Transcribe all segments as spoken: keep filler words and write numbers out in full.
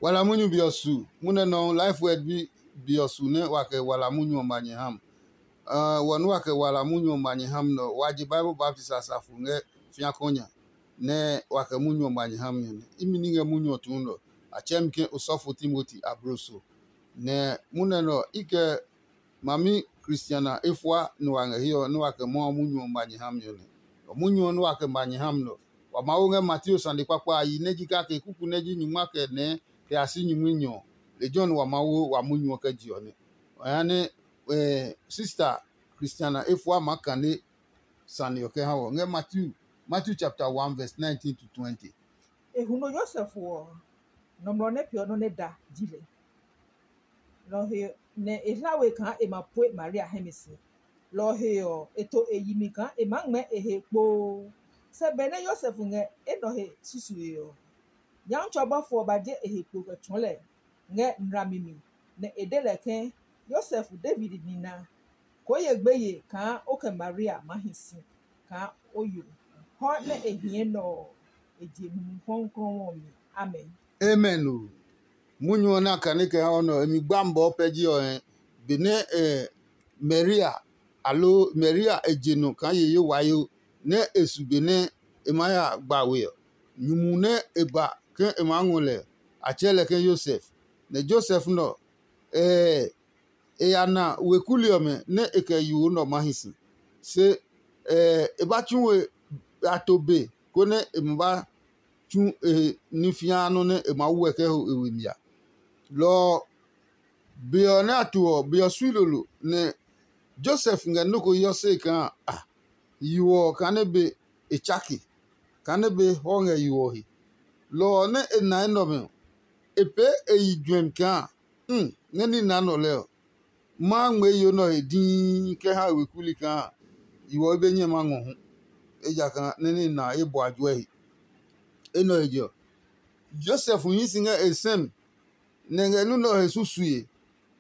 Wala munyu be ɔ su, munɛ nɔuu Life Word bi be ɔ su nɛ wa kɛ wala munyu ɔ ma nyɛ ha mi. Wɔ nɛ wa kɛ wala munyu ɔ ma nyɛ ha mi nɛ ɔ, wa je Bible baptist asafo ngɛ fiakɔ nya, nɛ wa kɛ munyu ɔ ma nyɛ ha mi ɔ nɛ. Imi ní ngɛ munyu ɔ tuu nɛ ɔ, a tsɛɛ mi ke osɔfo Timoti abloso. Nɛ munɛ nɛ ɔ, i kɛ mami Kristiana efua nɛ wa ngɛ hiɛ ɔ, nɛ wa kɛ Mawu munyu ɔ ma nyɛ ha mi ɔ nɛ. Munyu ɔ nɛ wa kɛ ma nyɛ ha mi nɛ ɔ, wa Mawu ngɛ Mateo sane kpakpa a yi nɛ ji kake kuku nɛ ji nyingma kɛ nɛɛ kɛ ya si nyingminyɔ ɔ. Lejɛ ɔ nɛ wa Mawu wa munyu ɔ kɛ je ɔ nɛ. Ɔ ya nɛ sista Kristiana efua maa kane sane ɔ kɛ ha wɔ ngɛ Matthew, Matthew chapter one verse nineteen to twenty. E huno Yosef ɔ, nɔmlɔ nɛ peeɔ nɔ́ nɛ da ji lɛ. Lɔ ɔ he nɛ e hla we kaa e ma pue Maria hɛ mi si. Lɔ ɔ he ɔ, e to e yi mi kaa e maa ngmɛɛ e he kpoo. Se benɛ Yosef ngɛ enɛ ɔ he susue ɔ, Nyɔmtsɛ ɔ bɔfo ɔ ba je e he kpo kɛ tsɔɔ lɛ ngɛ nlami mi, nɛ e de lɛ ke, Yosef, David nina, koo ye gbeye kaa o kɛ Maria maa hi si kaa o yo. Hɔ nɛ e hie nɛ ɔ, e je Mumi Klɔuklɔu ɔ mi. Amen. Amen o. Munyu ɔ nɛ a kane kɛ ha o nɛ ɔ, e mi gba mi bɔɔ pɛ ji ɔ hɛ. Benɛ Maria, aloo Maria e je nɔ kaa ye ye wayo nɛ e su benɛ e maa ya gba we ɔ, nyumu nɛ e ba ke e maa ngɔ lɛ, a tsɛɛ lɛ ke Yosef. Nɛ Josef nɛ ɔ, e ya na weku li ɔmɛ nɛ e kɛ yo nɛ ɔ maa hi si. Se e ba tsu we a to be konɛ e ma ba tsu e he ní fĩaa nɔ́ nɛ e maa wu ɛ kɛ ho e we mi a. Lɔ ɔ, be ɔ nɛ a to ɔ, be ɔ sui lolo, nɛ Josef ngɛ nɔ́ ko hiɔ se kaa a, yo ɔ kaa nɛ be e tsake, kaa nɛ be hɔ ngɛ yo ɔ he. Lɔ ɔ nɛ e na enɛ ɔmɛ ɔ, e pee e yi juɛmi kaa, um, nɛ ní na nɔ lɛ ɔ, ma ngmɛɛ yo nɛ ɔ he dii kɛ ha e weku li kaa yo ɔ be nyɛ ma ngɔ hu, ejakaa nɛ ní na ye bɔ a juɛ he. Enɛ ɔ he je ɔ, Josef hii si ngɛ e sɛ mi, nɛ ngɛ nɔ́ nɛ ɔ he susue,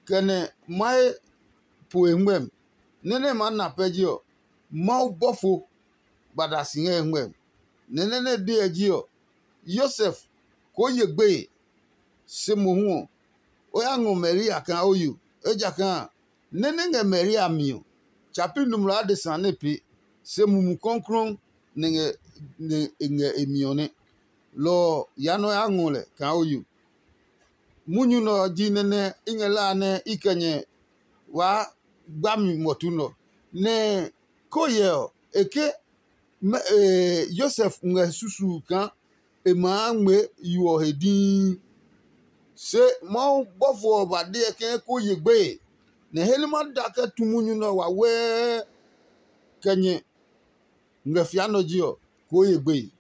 kɛ nɛ mahe po e ngmɛmi. Nɛ́ nɛ e maa na pɛ ji ɔ, Mawu bɔfo ba da si ngɛ e ngmɛmi. Nɛ nɛ́ nɛ e de ɔ ji ɔ, Yosef, koo ye gbeye, se mohu ɔ, o ya ngɔ Maria kaa o yo, ejakaa nɛ́ nɛ ngɛ Maria mi ɔ, tsa pi nɔmlɔ adesa nɛ e pee, se Mumi Klɔuklɔu nɛ ngɛ e mi ɔ nɛ. Lɔ ɔ ya nɛ o ya ngɔ lɛ kaa o yo. Munyu nɛ ɔ ji nɛ nɛ i ngɛ la a nɛ i kɛ nyɛ waa gba mi muɔtu nɛ ɔ. Nɛ ko hyɛ ɔ, e ke Yosef ngɛ susuu kaa e maa ngmɛɛ yo ɔ he dii. Se Mawu bɔfo ɔ ba deɛ ke koo ye gbeye, nɛ he nɛ ma da kɛ tu munyu nɛ ɔ wawɛɛ kɛ nyɛ ngɛ fia nɔ ji ɔ, koo ye gbeye.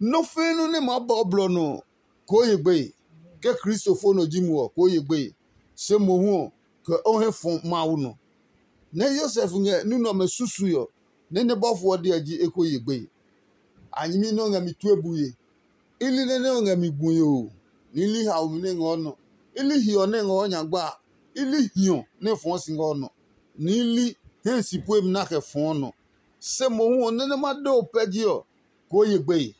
Nɔ́ fiinu nɛ maa ba o blɔ nɔ ɔ, koo ye gbeye. Ke Kristo fo nɔ ji mo ɔ, koo ye gbeye. Se mohu ɔ, kɛ o hɛ fɔ Mawu nɔ. Nɛ Yosef ngɛ ní nɛ ɔmɛ susui ɔ, nɛ nɛ bɔfo ɔ deɛ ji eko ye gbeye. A nyɛmi nɛ o ngɛ mi tue bue. I li nɛ nɛ o ngɛ mi gue oo, nɛ i li haomi nɛ ngɔɔ nɔ. I li hiɔ nɛ ngɔɔ nyagba a, i li hiɔ nɛ fɔɔ si ngɔɔ nɔ, nɛ i li hɛ si puemi nɛ a kɛ fɔɔ nɔ. Se mohu ɔ, nɛ nɛ ma de o pɛ ji ɔ, koo ye gbeye.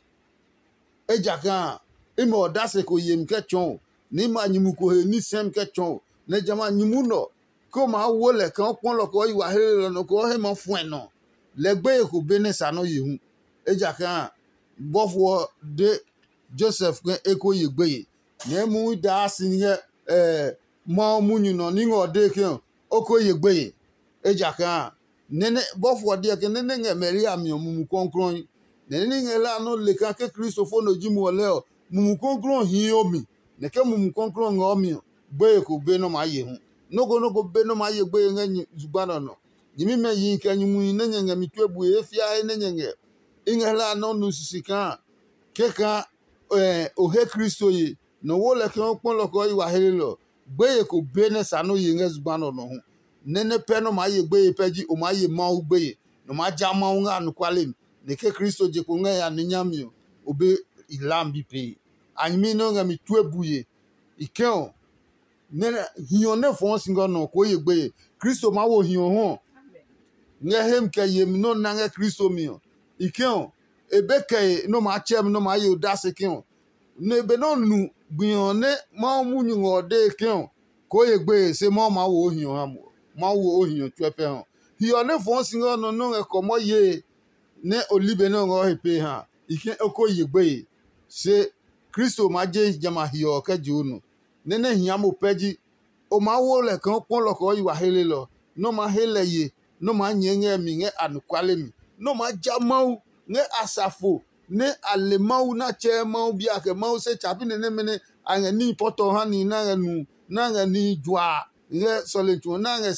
Ejakaa a, imi ɔ odase ko yemi kɛ tsɔɔ o, nɛ i ma nyumu ko he ní sɛmi kɛ tsɔɔ o, nɛ jamɛ a nyumu nɛ ɔ, ke o maa wo lɛ kaa o kpɔ lɔ kɛ o yi wa hlelelɔ nɔ kɛ o hɛ maa fuɛ nɔ ɔ, lɛ gbeye ko be nɛ sa nɔ́ ye hu. Ejakaa a, bɔfo ɔ de Josef ke e ko ye gbeye, nɛ e mumi daa si ngɛ Mawu munyu nɔ ní ngɛ ɔ dee ke o ko ye gbeye. Ejakaa a, nɛ nɛ bɔfo ɔ deɛ ke nɛ nɛ ngɛ Maria mi ɔ, Mumi Klɔuklɔu, nɛ nɛ ní ngɛ la nɔ́ le kaa ke Kristo fo nɔ ji mo ɔ lɛɛ ɔ, Mumi Klɔuklɔu hii o mi, nɛ ke Mumi Klɔuklɔu ngɛ o mi ɔ, gbeye ko be nɔ́ maa ye hu. Nɔ́ ko nɔ́ ko be nɔ́ maa ye gbeye ngɛ nyɛ zugba nɛ ɔ nɔ. Nyɛmimɛ yihi kɛ nyumuhi nɛ nyɛ ngɛ mi tue bue he fiae nɛ nyɛ ngɛ, i ngɛ hlaa nɛ o nu sisi kaa kɛkaa o he Kristo ye, nɔ wo lɛ ke o kpɔ lɔ kɛ o yi wa helelɔ. Gbeye ko be nɛ sa nɛ o ye ngɛ zugba nɛ ɔ nɔ hu. Nɛ nɛ pɛ nɛ o maa ye gbeye pɛ ji o maa ye Mawu gbeye, nɛ o maa ja Mawu ngɛ anɔkuale mi, nɛ ke Kristo je kpo ngɛ ya ní nyami ɔ, o be i hlami bi pee. A nyɛmi nɛ o ngɛ mi tue bue. I kɛ̃ ɔ, nɛ hiɔ nɛ fɔɔ si ngɛ nɔ ko ye gbeye. Kristo maa wo hiɔ hu ɔ ngɛ hemi kɛ yemi nɛ o na ngɛ Kristo mi ɔ. I kɛ̃ ɔ, e be kɛe nɛ o maa tsɛ mi nɛ o maa ye odase kɛ̃ ɔ. Nɛ benɛ o nu Gbi ɔ nɛ Mawu munyu ngɛ ɔ dee ke ɔ, koo ye gbeye se Mawu maa wo o hiɔ ha mo. Mawu wo o hiɔ tsuɛ pɛ ɔ. Hiɔ nɛ fɔɔ si ngɛ nɔ nɛ o ngɛ kɔmɔ yee nɛ o li be nɛ o ngɛ o he pee ha, i ke o ko ye gbeye. Se Kristo maa je jamɛ a hiɔ ɔ kɛ je o nɔ. Nɛ nɛ hia mo pɛ ji, o maa wo lɛ kaa o kpɔ lɔ kaa o yi wa helelɔ, nɛ o maa he lɛ ye, nɛ o maa nyɛɛ ngɛ mi ngɛ anɔkuale mi, nɛ o maa ja Mawu ngɛ asafo nɛ a le Mawu nɛ a tsɛɛ Mawu bi a kɛ Mawu se tsa pi nɛ nɛmɛ nɛ a ngɛ níhi pɔtɔ ha nihi nɛ a ngɛ nu nɛ a ngɛ nihi juaa ngɛ sɔlemi tsu ɔ nɛ a ngɛ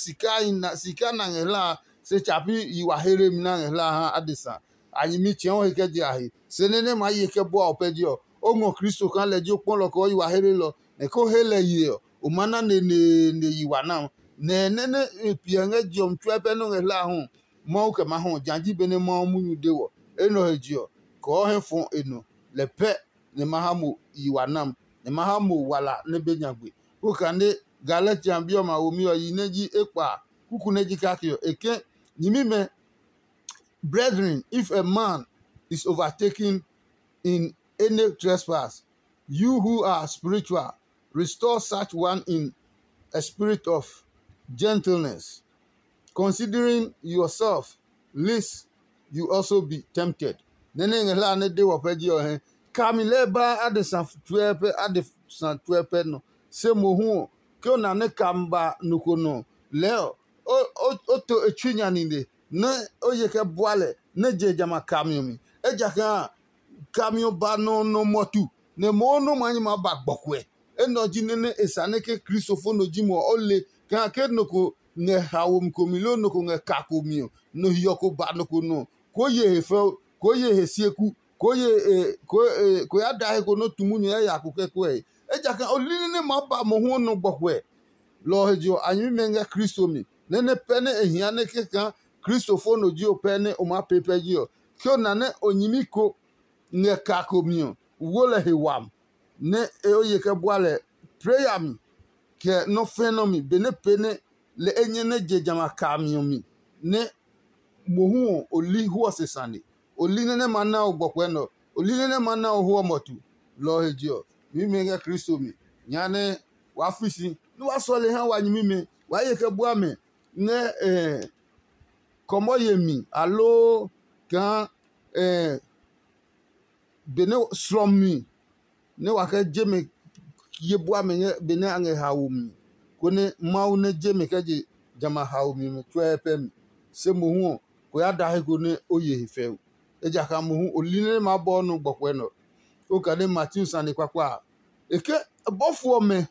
sika na ngɛ hla a, se tsa pi yi wa hlemi nɛ a ngɛ hla a ha adesa. A nyɛmi tsɛ̃ɔ he kɛ je a he, se nɛ nɛ maa ye kɛ bua o pɛ je ɔ, o ngɔ Kristo kaa lɛ ji o kpɔlɔ kɛ o yi wa helelɔ, nɛ ko he lɛ ye ɔ, o maa na neneene yi wa na. Nɛ nɛ nɛ e piɛ ngɛ je ɔ mi tsuɛ pɛ nɔ́ ngɛ hlae hu, Mawu kɛ maa hɔ ɔ, ja ji benɛ Mawu munyu de wɔ. Enɛ ɔ he je ɔ, kɔɔ hɛ fɔ e nɔ, lɛ pɛ nɛ ma ha mo yi wa nam, nɛ ma ha mo wala nɛ be nyagbe. Kukane Galatia bi ɔmɛ a womi ɔ yi nɛ ji ekpa a, kuku nɛ ji kake ɔ, e ke, nyɛmimɛ, brethren, if a man is overtaken in any trespass, you who are spiritual, restore such one in a spirit of gentleness, considering yourself, lest you also be tempted. Nɛ nɛ ngɛ hla nɛ de wɔ pɛ ji ɔ hɛ, kami lɛɛ ba adesa tsuɛ pɛ adesa tsuɛ pɛ nɔ. Se mohu ɔ, ke o na nɛ kami ba nɔ ko nɔ lɛɛ ɔ, o to e tsui nya nine nɛ o ye kɛ bua lɛ nɛ je jamɛ a kami ɔ mi. Ejakaa kami ɔ ba nɔ nɔ mɔtu, nɛ mohu nɔ́ maa nyɛ maa ba gbɔkuɛ. Enɛ ɔ ji nɛ nɛ e sa nɛ ke kristofo no ji mo ɔ, o le kaa ke nɔ ko ngɛ haomi komi loo nɔ ko ngɛ ka komi ɔ, nɔ hiɔ ko ba nɔ ko nɔ, koo ye he fɛu, koo ye he sieku, koo ye koo ya da he ko nɔ́ tu munyu yaya ko kɛ kuɛ he. Ejakaa o li nɛ nɛ maa ba mohu ɔ nɔ gbɔkuɛ. Lɔ ɔ he je ɔ, a nyɛmimɛ ngɛ Kristo mi, nɛ nɛ pɛ nɛ e hia nɛ kɛkaa kristofo no ji o pɛ nɛ o maa pee pɛ ji ɔ, ke o na nɛ o nyɛmi ko ngɛ ka ko mi ɔ, wo lɛ he wami, nɛ e o ye kɛ bua lɛ pee yami kɛ nɔ́ fɛ̃ nɔ́ mi, benɛ pee nɛ lɛ enyɛ nɛ je jamɛ a kami ɔ mi, nɛ mohu ɔ o li hwɔ se sane. O li nɛ nɛ ma na o gbɔkuɛ nɛ ɔ, o li nɛ nɛ ma na o hwɔ mɔtu. Lɔ ɔ he je ɔ, nyɛmimɛ ngɛ Kristo mi, nya nɛ waa fi si nɛ waa sɔle ha wa nyɛmimɛ, waa ye kɛ bua mɛ ngɛ kɔmɔ yemi aloo kaa benɛ slɔmi nɛ wa kɛ je mɛ ye bua mɛ ngɛ benɛ a ngɛ haomi, konɛ Mawu nɛ je mɛ kɛ je jamɛ a haomi ɔmɛ tsuɛ pɛ mi. Se mohu ɔ, ko ya da he ko nɛ o ye he fɛu. Ejakaa mohu o li nɛ maa bɔɔ nɔ gbɔkuɛ nɛ ɔ. Okane Matiu sane kpakpa a, e ke bɔfo ɔmɛ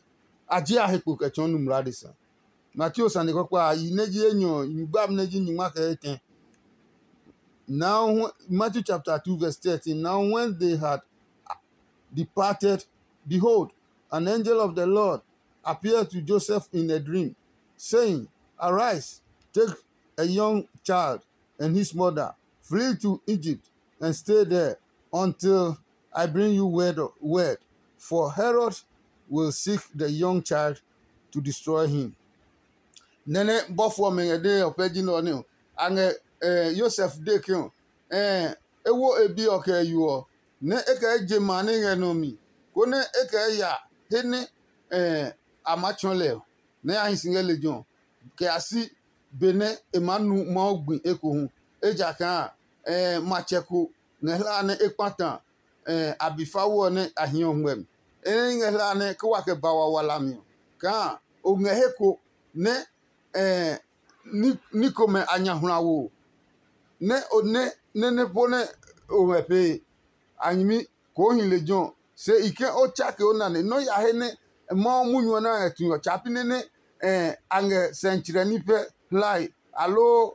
a je a he kpo kɛ tsɔɔ nu mlaa adesa. Matiu sane kpakpa a, yi nɛ ji enyɔ, yi gbami nɛ ji nyingma kɛ etɛ. Now, Matthew chapter two, verse thirteen. Now, when they had departed, behold, an angel of the Lord appeared to Joseph in a dream, saying, arise, take a young child and his mother, flee to Egypt and stay there until I bring you word, word. For Herod will seek the young child to destroy him. Nɛnɛ bɔfo ɔmɛ ngɛ dee ɔ pɛ ji nɛ ɔ nɛ ɔ, a ngɛ Yosef dee ke ɔ, e wo e bi ɔ kɛ yo ɔ, nɛ e kɛ je ma nɛ ngɛ nɔ mi, konɛ e kɛ ya he nɛ a maa tsɔɔ lɛ ɔ, nɛ a hi si ngɛ lejɛ ɔ, kɛ ya si benɛ e maa nu Mawu gbi ekohu. Ejakaa matsɛ ko ngɛ hlaa nɛ e kpata a be fao ɔ nɛ a hiɔ ngmɛmi. E nɛ i ngɛ hlaa nɛ ke wa kɛ ba wa wala mi ɔ, kaa o ngɛ he ko nɛ ní komɛ a nya hwlawo, nɛ o nɛ nɛ nɛ po nɛ o ngɛ pee. A nyɛmi koo hi lejɛ ɔ, se i ke o tsake o nane nɔ́ ya he nɛ Mawu munyu ɔ nɛ a ngɛ tue ɔ tsa pi nɛ nɛ a ngɛ sɛntsirɛ ní pɛ hlae, aloo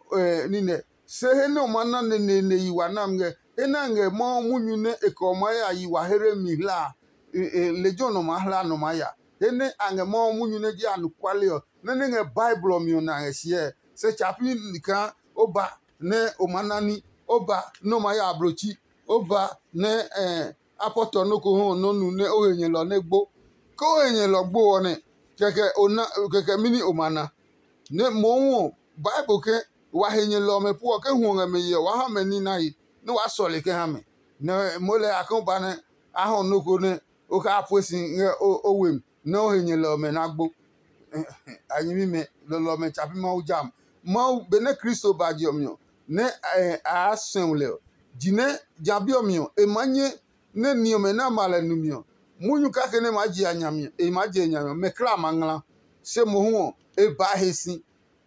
nine. Se he nɛ o ma na neneene yi wa nami ngɛ, he nɛ a ngɛ Mawu munyu nɛ e kɛ ɔ maa ya yi wa here mi hlaa a, lejɛ ɔ nɔ maa hla nɔ maa ya. He nɛ a ngɛ Mawu munyu nɛ ji anɔkuale ɔ, nɛ nɛ ngɛ Bible ɔ mi ɔ na ngɛ siɛ. Se tsa pi kaa o ba nɛ o maa na ní, o ba nɛ o maa ya ablochi, o ba nɛ a pɔtɔ nɔ́ ko hɔ nɔ́ nu nɛ o he nyɛlɔ nɛ gbo. Ke o he nyɛlɔ gbo ɔ nɛ, kɛkɛ o na kɛkɛ mɛni o ma na? Nɛ mohu ɔ, Bible ke wa he nyɛlɔ ɔmɛ pu ɔ, ke hwɔ ngɛ mɛ yɛ ɔ, waa ha mɛ ní nae, nɛ waa sɔle kɛ ha mɛ. Nɛ moo lɛɛ a ke o ba nɛ a hɔ nɔ́ ko nɛ o kɛ a pue si ngɛ o we mi nɛ o he nyɛlɛ ɔmɛ na gbo. A nyɛmimɛ, lɔlɔ ɔmɛ tsa pi Mawu jam. Mawu benɛ Kristo ba je ɔ mi ɔ, nɛ a suɛ lɛ ɔ, jinɛ ja bi ɔ mi ɔ, e maa nyɛ nɛ ni ɔmɛ nɛ a ma lɛ nu mi ɔ, munyu kake nɛ e maa je a nya mi ɔ, e maa je e nya mi ɔ, mɛ kla ma ngla. Se mohu ɔ, e baa he si,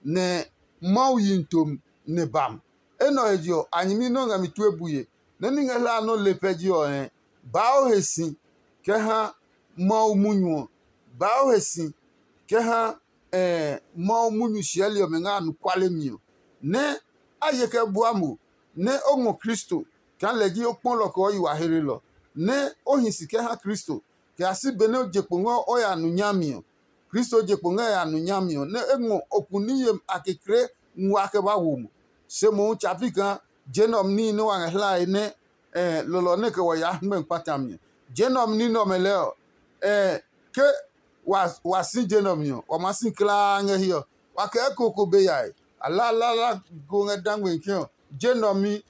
nɛ Mawu yi mi tomi nɛ ba mi. Enɛ ɔ he je ɔ, a nyɛmi nɛ o ngɛ mi tue bue, nɛ ní ngɛ hlae nɔ́ le pɛ je ɔ hɛ, baa o he si kɛ ha Mawu munyu ɔ, baa o he si kɛ ha Mawu munyu siɛli ɔmɛ ngɛ anɔkuale mi ɔ, nɛ a ye kɛ bua mo, nɛ o ngɔ Kristo kaa lɛ ji o kpɔlɔ kɛ o yi wa hlelɔ, nɛ o hi si kɛ ha Kristo, kɛ ya si benɛ o je kpo ngɛ o ya nu nyami ɔ. Kristo je kpo ngɛ ya nu nyami ɔ, nɛ e ngɔ okuni yemi a kekle nguaa kɛ ba wo mo. Se mohu tsa pi kaa je nɛ ɔ mi níhi nɛ wa ngɛ hlae nɛ lɔlɔ nɛ kɛ wɔ yaa hɛngmɛ kpata mi ɔ. Je nɛ ɔ mi ní nɛ ɔmɛ lɛɛ ɔ, ke wa si je nɛ ɔ mi ɔ, wa maa si kulaa ngɛ hiɛ ɔ. Wa kɛ eko ko be yae. A la lala ko ngɛ dangme ke ɔ, je nɛ ɔ mi.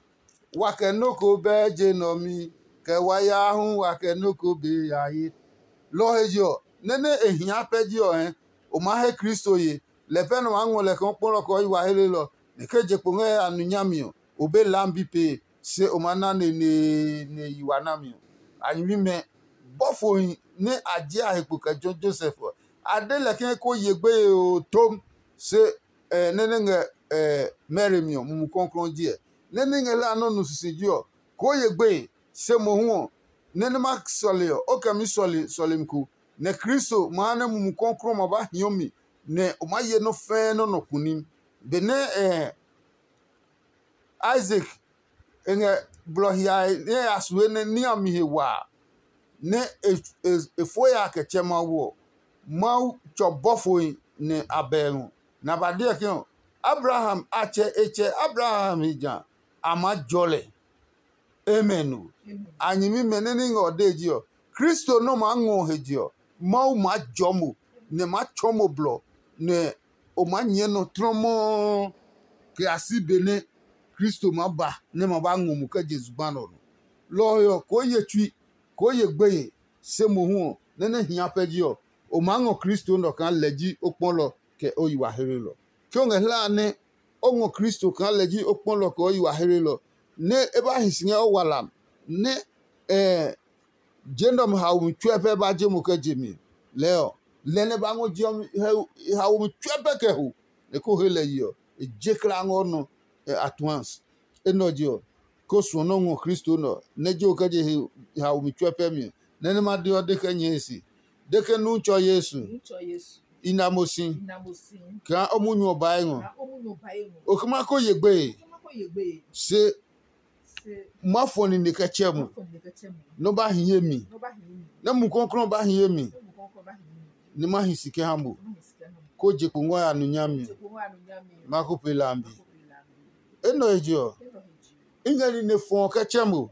Wa kɛ nɔ́ ko bɛɛ je nɛ ɔ mi, kɛ wa ya hu wa kɛ nɔ́ ko be ya ye. Lɔ ɔ he je ɔ, nɛ nɛ e hia pɛ je ɔ hɛ, o maa he Kristo ye. Lɛ pɛ nɛ o maa ngɔ lɛ kaa o kpɔlɔ kɛ o yi wa helelɔ, nɛ ke je kpo ngɛ a nu nyami ɔ, o be lam bi pee, se o maa na neneene yi wa nami ɔ. A nyɛmimɛ, bɔfohi nɛ a je a he kpo kɛ jɔ Josef ɔ, a de lɛ ke ko ye gbeye oo tom, se nɛ nɛ ngɛ Mary mi ɔ, Mumi Klɔuklɔu ji ɛ. Nɛ ní ngɛ hlaa nɔ́ nu sisiji ɔ, koo ye gbeye, se mohu ɔ, nɛ nɛ ma sɔle ɔ, o kɛ mi sɔle sɔlemi ko, nɛ Kristo ma ha nɛ Mumi Klɔuklɔu ma ba hiɔ mi, nɛ o maa ye nɔ́ fɛɛ nɔ́ nɔ kunim. Benɛ Isaac e ngɛ blɔ hiae nɛ e ya su he nɛ ní ɔ mi he waa, nɛ e fo ya kɛ tsɛ Mawu ɔ, Mawu tsɔ bɔfohi nɛ a bɛ ngɔ, nɛ a ba deɔ ke ɔ, Abraham a tsɛ e tsɛ Abraham he ja a maa jɔ lɛ. Amen o. A nyɛmimɛ nɛ ní ngɛ ɔ dee ji ɔ, Kristo nɛ ɔ maa ngɔ he je ɔ, Mawu maa jɔ mo, nɛ maa tsɔ mo blɔ, nɛ o maa nyɛɛ nɔ tlɔmɔɔ kɛ ya si benɛ Kristo maa ba nɛ ma ba ngɔ mo kɛ je zugba nɛ ɔ nɔ. Lɔ ɔ he ɔ, koo ye tsui, koo ye gbeye, se mohu ɔ, nɛ nɛ hia pɛ ji ɔ, o maa ngɔ Kristo nɛ ɔ kaa lɛ ji o kpɔlɔ kɛ o yi wa hlelɔ. Ke o ngɛ hlae nɛ o ngɔ Kristo kaa lɛ ji o kpɔlɔ kɛ o yi wa hlelɔ, nɛ e ba hi si ngɛ o walam, nɛ je nɛ ɔmɛ haomi tsuɛ pɛ ba je mo kɛ je mi. Lɛɛ ɔ, lɛ nɛ ba ngɔ je ɔmɛ haomi tsuɛ pɛ kɛ ho, nɛ ko he lɛ yi ɔ, e je kla ngɔ nɔ at once. Enɛ ɔ je ɔ, ko suɔ nɔ́ ngɔ Kristo nɛ ɔ, nɛ je o kɛ je haomi tsuɛ pɛ mi ɔ, nɛ nɛ ma de ɔ de kɛ nyɛe se, de ke nu tsɔ Yesu, i na mo si kaa o munyu ɔ bae ngɔ. O kɛ ma ko ye gbeye, se ma fɔ nine kɛ tsɛ mo, nɔ ba hi ye mi, nɛ mu kɔklɔ ba hi ye mi, nɛ ma hi si kɛ ha mo, ko je kpo ngɔ ya nu nyami. Ma ko pe lambi. Enɛ he je ɔ, i ngɛ nine fɔ kɛ tsɛ mo,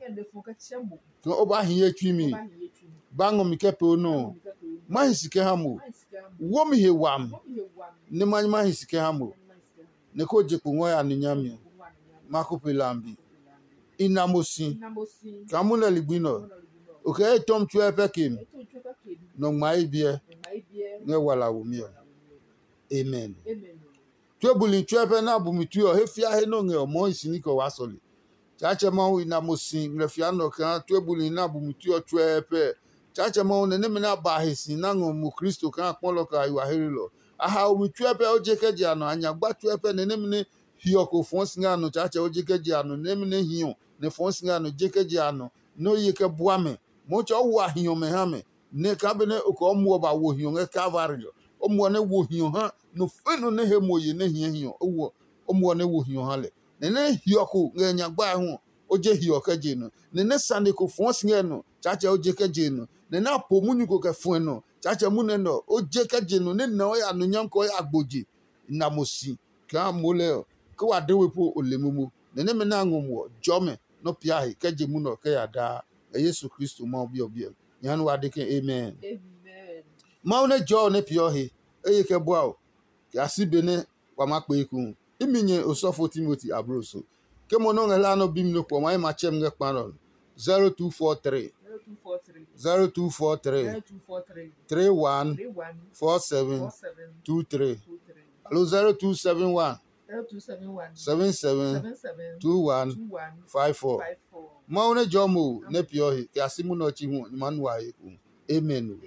kaa o ba hi ye tsui mi, ba ngɔ mi kɛ pee o nɔ. Ma hi si kɛ ha mo, wo mi he wami, nɛ ma ma hi si kɛ ha mo, nɛ ko je kpo ngɔ ya nu nyami. Ma ko pe lambi. I na mo si kaa mo nɛ ligbi nɛ ɔ, o kɛ ye tɔmi tsuɛ pɛ ke mi, nɔ ngma ye biɛ ngɛ wala womi ɔ. Amen. Tue buli tsuɛ pɛ nɛ a bu mi tue ɔ, he fia he nɔ ngɛ ɔ mɔɔ hi si ní kɛ waa sɔle. Tsaatsɛ Mawu i na mo si ngmlɛ fia nɔ kaa tue buli nɛ a bu mi tue ɔ tsuɛ pɛ. Tsaatsɛ Mawu nɛ nɛmɛ nɛ a ba he si na ngɔ mo Kristo kaa kpɔlɔ kɛ a yi wa hlelɔ. A hao mi tsuɛ pɛ o je kɛ je a nɔ, a nya gba tsuɛ pɛ nɛ nɛmɛ nɛ hiɔ ko fɔɔ si ngɛ a nɔ, Tsaatsɛ o je kɛ je a nɔ, nɛmɛ nɛ hiɔ nɛ fɔɔ si ngɛ a nɔ je kɛ je a nɔ, nɛ o ye kɛ bua mɛ. Motsɛ o wa hiɔ mɛ ha mɛ, nɛ kaa benɛ o kɛ o muɔ ba wo hiɔ ngɛ Kalvari ɔ, o muɔ nɛ wo hiɔ ha nɔ fɛnɔ nɛ he mo ye nɛ hiɛ hiɔ o wɔ, o muɔ nɛ wo hiɔ ha lɛ. Nɛ nɛ hiɔ ko ngɛ nya gbae hu ɔ, o je hiɔ kɛ je nɔ. Nɛ nɛ sane ko fɔɔ si ngɛ nɔ, Tsaatsɛ o je kɛ je nɔ. Nɛ nɛ a po munyu ko kɛ fuɛ nɔ, Tsaatsɛ munɛ nɔ, o je kɛ je nɔ, nɛ nɛ o ya nɔ nyam kɛ o ya gbo je. Na mo si kaa mo lɛ ɔ, ke wa de we po o le momo. Nɛ nɛmɛ nɛ a ngɔ mo ɔ, jɔmɛ nɔ pia he kɛ je munɛ ɔ kɛ ya daa. Ngɛ Yesu Kristo Mawu Bi ɔ biɛ. Nyɛ ha nɛ wa de ke amen. Mawu nɛ jɔɔ nɛ peeɔ he, eye kɛ bua o, kɛ a si be nɛ wa maa kpee hu. Imi nyɛ osɔfo Timoti ablo so. Ke mo nɔ́ ngɛ hlaa nɛ o bi mi nɔ kpɔ ma ye ma tsɛ mi ngɛ kpa nɛ ɔ, zero two four three zero two four three, three one four seven two three, alo zero two seven one, seven seven two one five four. Mawu nɛ jɔ mo nɛ piɔ he kɛ a si munɛ ɔ chi hu ɔ, nyɛ ma nu wa he ku. Amen.